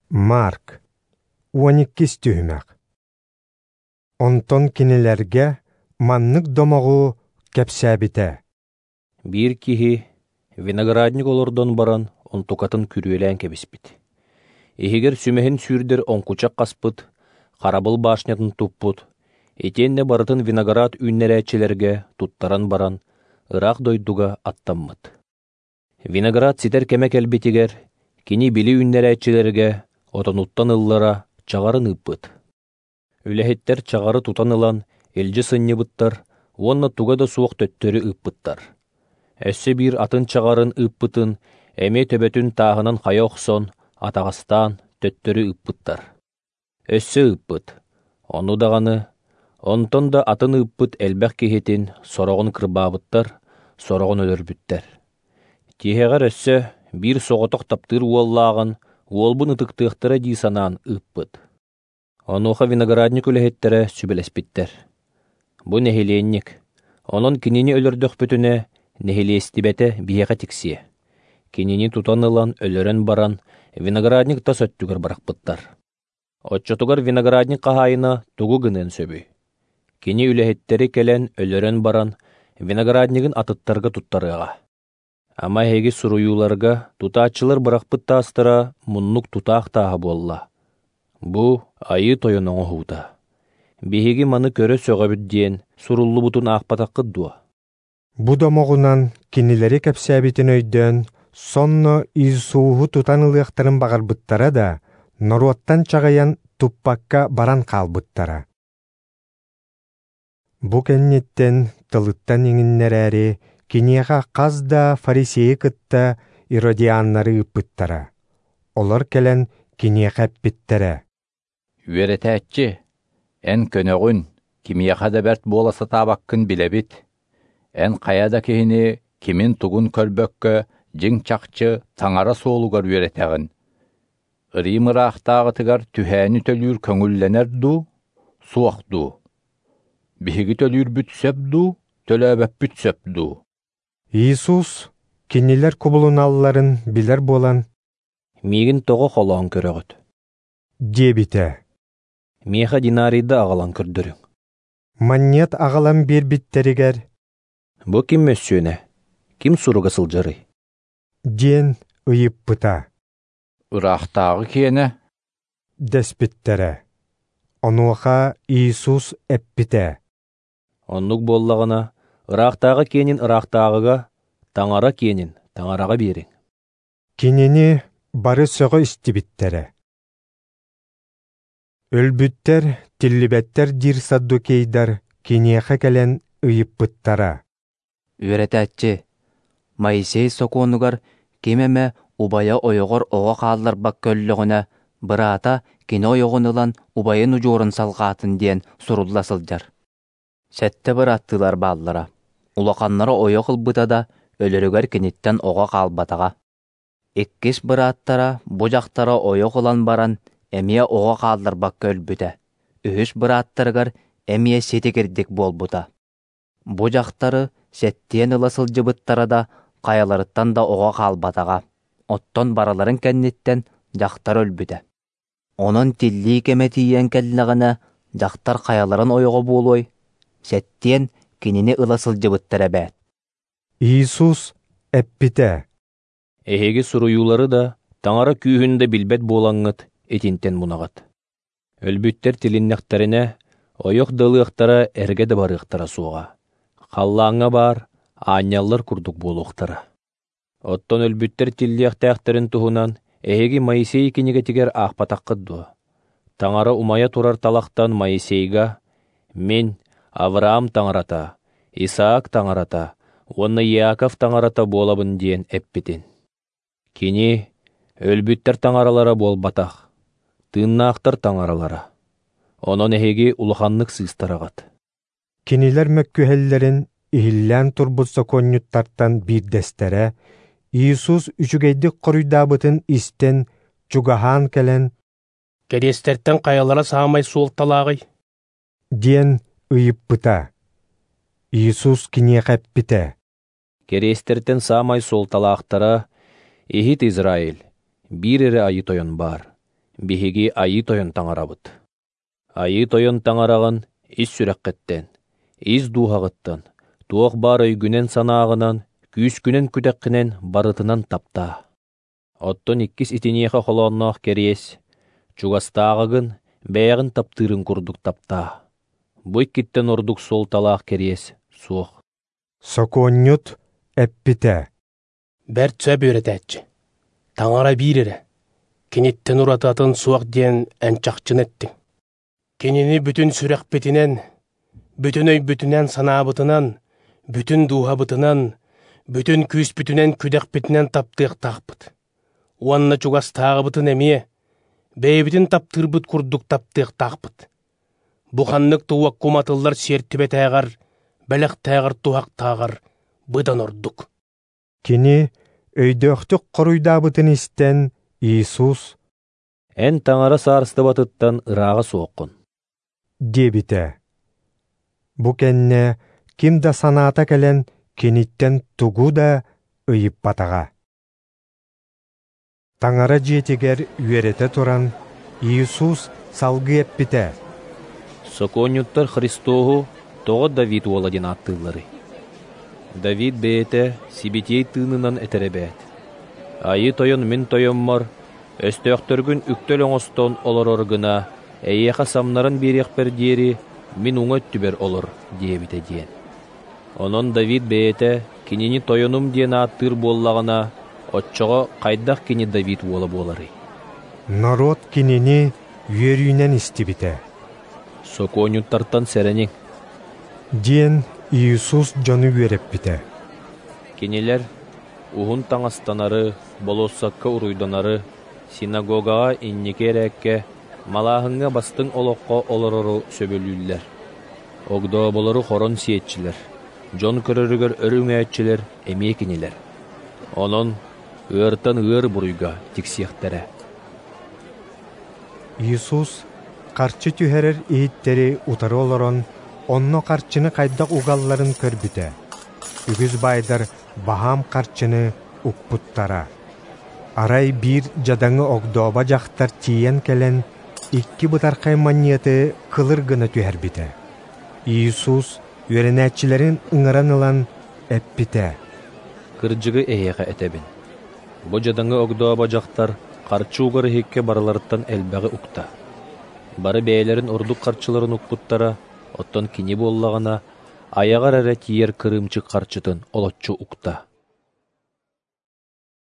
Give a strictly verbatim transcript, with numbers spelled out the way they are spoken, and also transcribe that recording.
Марк, уон иккис түһүмэх. Онтон кинилэргэ маннык домоҕу кэпсээбитэ. Биир киһи виноградник олордон баран онтукатын күрүөлээн кэбиспит. Иһигэр сүмэһин сүүрдэр оҥкучах хаспыт, харабыл башнятын туппут, итиэннэ барытын виноград үүннэрээччилэргэ туттаран баран, ыраах дойдуга аттаммыт. Виноград ситэр кэмэ кэлбитигэр, кини били үүннэрээччилэргэ отонуттан ыллара чаҕарын ыыппыт. Үлэһиттэр чаҕары тутан ылан илдьи сынньыбыттар уонна туга да суох төттөрү ыыппыттар. Өссө биир атын чаҕарын ыыппытын эмиэ төбөтүн тааһынан хайа охсон, атаҕастаан төттөрү ыыппыттар. Өссө ыыппыт, ону даҕаны, онтон да атын ыыппыт элбэх киһитин сороҕун кырбаабыттар, сороҕун өлөрбүттэр. Тиһэҕэр өссө биир соҕотох таптыыр уоллааҕын уолбун ытыктыахтара дии санаан ыыппыт. Онуоха виноградник үлэһиттэрэ сүбэлэспиттэр. Бу нэһилиэнньик, онон кинини өлөрдөхпүтүнэ нэһилиэстибэтэ биһиэхэ тиксиэ. Кинини тутан ылан өлөрөн баран виноградник тас өттүгэр бырахпыттар. Оччотугар виноградник хаһаайына тугу гыныан сөбүй? Кини үлэһиттэри кэлэн өлөрөн баран винограднигын атыттарга туттарыаҕа. Ама эһиги суруйууларга тутааччылар бырахпыт таастара муннук тутаах тааһа буолла. Бу айыы тойон оҥоһуута. Биһиги маны көрө сөҕөбүт диэн суруллубутун аахпатаххыт дуо? Бу домоҕунан кинилэри кэпсээбитин өйдөөн, сонно Иисуһу тутан ылыахтарын баҕарбыттара да, норуоттан чаҕыйан туппакка баран хаалбыттара. Бу кэнниттэн тылыттан иҥиннэрээри киниэхэ хас да фарисейы кытта иродианнары ыыппыттара. Олор кэлэн киниэхэ эппиттэрэ. Үөрэтээччи, эн көнөҕүн, кимиэхэ да бэрт буола сатаабаккын билэбит. Эн хайа да киһини кимин тугун көрбөккө дьиҥ чахчы таҥара суолугар үөрэтэҕин. Рим ыраахтааҕытыгар түһээни төлүүр көҥүллэнэр дуу, суох дуу? Биһиги төлүүрбүт сөп дуу, төлөөбөппүт сөп дуу? Иисус кинилэр кубулуналларын билэр буолан, «Миигин тоҕо холоон көрөҕүт?» диэбитэ. «Миэхэ динарийда аҕалан көрдөрүҥ». Манньыат аҕалан биэрбиттэригэр, «Бу ким мөссүөнэ, ким суруга сылдьарый?» диэн ыйыппыта. Ыраахтааҕы киэнэ дэспиттэрэ. Онуоха Иисус эппитэ. Оннук буоллаҕына, ыраахтааҕы киэнин ыраахтааҕыга, таҥара киэнин таҥараҕа биэриҥ. Кинини бары сөҕө истибиттэрэ. Өлбүттэр, тиллибэттэр диир саддукейдар киниэхэ кэлэн ыйыппыттара. Үөрэтээччи, Моисей сокуонугар ким эмэ убайа ойоҕор оҕо хаалларбакка өллөҕүнэ, быраата кини ойоҕун ылан убайын удьуорун салҕаатын диэн сурулла сылдьар. Сэттэ бырааттыылар бааллара. Улаханнара ойох ылбыта да, өлөрүгэр киниттэн оҕо хаалбатаҕа. Иккис бырааттара бу дьахтара ойох ылан баран, эмиэ оҕо хаалларбакка өлбүтэ. Үһүс бырааттарыгар эмиэ ситигирдик буолбута. Бу дьахтары сэттиэн ыла сылдьыбыттара да, хайаларыттан да оҕо хаалбатаҕа. Оттон барыларын кэнниттэн дьахтар өлбүтэ. Онон тиллии кэмэ тиийэн кэллэҕинэ, дьахтар хайаларын ойоҕо буолуой? Сэттиэн кинини ыла сылдьыбыттар эбээт. Иисус эппитэ. Эһиги суруйуулары да, таҥара күүһүн да билбэт буолаҥҥыт итинтэн мунаҕыт. Өлбүттэр тилиннэхтэринэ, ойох да ылыахтара эргэ да барыахтара суоҕа. Халлааҥҥа баар, аанньаллар курдук буолуохтара. Оттон өлбүттэр тиллиэхтээхтэрин туһунан эһиги Моисей кинигэтигэр аахпатаххыт дуо? Таҥара умайа турар талахтан Моисейга «Мин Авраам таҥарата, Исаак таҥарата уонна Иаков таҥарата буолабын» диэн эппитин. Кини өлбүттэр таҥаралара буолбатах, тыыннаахтар таҥаралара. Онон эһиги улаханнык сыыстараҕыт. Кинилэр мөккүһэллэрин иһиллээн турбут сокуонньуттартан биирдэстэрэ Иисус үчүгэйдик хоруйдаабытын истэн, чугаһаан кэлэн, «Кэриэстэртэн хайалара саамай суолталааҕый?» диэн ыйыппыта. Иисус киниэхэ эппитэ. Кэриэстэртэн саамай суолталаахтара иһит Израиль, биир эрэ айыы тойон баар. биһиги Айыы Тойон Таҥарабыт. Айыы Тойон Таҥараҕын ис сүрэххиттэн, ис дууһаҕыттан, туох баар өйгүнэн-санааҕынан, күүскүнэн-күдэххинэн барытынан таптаа. Оттон иккис итиниэхэ холоонноох кэриэс, чугастааҕыгын бэйэҕин таптыырын курдук таптаа. Бу иккиттэн ордук суолталаах кэриэс суох. Сокуонньут эппитэ: Бэрт сөп үөрэтээччи, Таҥара биир эрэ, киниттэн ураты атын суох диэн эн чахчыны эттиҥ. Кинини бүтүн сүрэхпитинэн, бүтүн өйбүтүнэн санаабытынан, бүтүн дууһабытынан, бүтүн күүспүтүнэн күдэхпитинэн таптыахтаахпыт. Уонна чугастааҕыбытын эмиэ, бэйэбитин таптыырбыт курдук таптыахтаахпыт. Бу ханнык да уокка уматыллар сиэртибэтээҕэр, бэлэхтээҕэр туһахтааҕар быдан ордук. Кини өйдөөхтүк хоруйдаабытын истэн Иисус: Эн Таҥара саарыстыбатыттан ырааҕа суоххун, диэбитэ. Бу кэннэ ким да санаата кэлэн киниттэн тугу да ыйыппатаҕа. Таҥара дьиэтигэр үөрэтэ туран, Иисус салгыы эппитэ: Сокуонньуттар Христоһу тоҕо Давид уола диэн ааттыылларый? Давид бэйэтэ сибитиэй тыынынан этэр эбээт: Айыы Тойон мин тойоммор, өстөөхтөргүн үктэл оҥостон олорор гына, эйиэхэ самнаран биэриэхпэр диэри мин уҥа өттүбэр олор диэбитэ диэн. Онон Давид бэйэтэ кинини тойонум диэн ааттыыр буоллаҕына, оччоҕо хайдах кини Давид уола буоларый? Норуот кинини үөрүүнэн истибитэ. Сокуонньуттартан сэрэниҥ, диэн Иисус дьону үөрэппитэ. Кинилэр уһун таҥастанары, болуоссакка уруйданары, синагогаҕа инники эрээккэ, малааһыҥҥа бастыҥ олоххо олорору сөбүлүүллэр. Огдооболору хорон сиэччилэр, дьон көрөрүгэр өр үҥээччилэр эмиэ кинилэр. Онон ыартан ыар буруйга тиксиэхтэрэ. Иисус харчы түһэрэр иһиттэри утары олорон, онно харчыны хайдах угалларын көрбүтэ. Үгүс баайдар баһаам харчыны укпуттара. Арай биир дьадаҥы огдообо дьахтар тиийэн кэлэн, икки бытархай манньыаты кылыр гына түһэрбитэ. Иисус үөрэнээччилэрин ыҥыран ылан эппитэ: Кырдьыгы эһиэхэ этэбин. Бу дьадаҥы огдообо дьахтар харчы угар иһиккэ барыларыттан элбэҕи укта. Бары бэйэлэрин ордук харчыларын укпуттара, оттон кини буоллаҕына, айаҕар эрэ тиийэр кырыымчык харчытын олоччу укта.